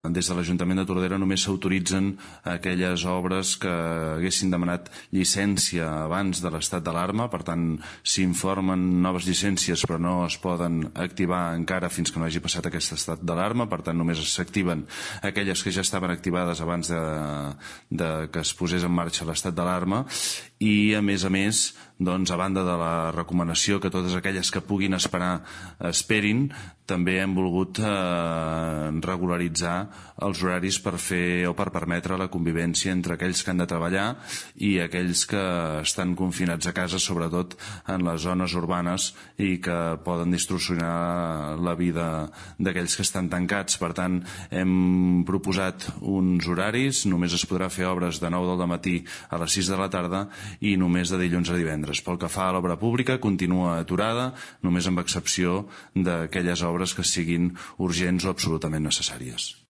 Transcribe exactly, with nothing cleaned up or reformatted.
Des de l'Ajuntament de Tordera només s'autoritzen aquelles obres que haguessin demanat llicència abans de l'estat d'alarma, per tant s'informen noves llicències però no es poden activar encara fins que no hagi passat aquest estat d'alarma, per tant només s'activen aquelles que ja estaven activades abans de, de que es posés en marxa l'estat d'alarma. I a més a més, doncs, a banda de la recomanació que totes aquelles que puguin esperar esperin, també hem volgut eh, regularitzar els horaris per fer o per permetre la convivència entre aquells que han de treballar i aquells que estan confinats a casa, sobretot en les zones urbanes i que poden distorsionar la vida d'aquells que estan tancats. Per tant, hem proposat uns horaris, només es podrà fer obres de nou del matí a les sis de la tarda i només de dilluns a divendres. Pel que fa a l'obra pública, continua aturada, només amb excepció d'aquelles obres que siguin urgents o absolutament necessàries.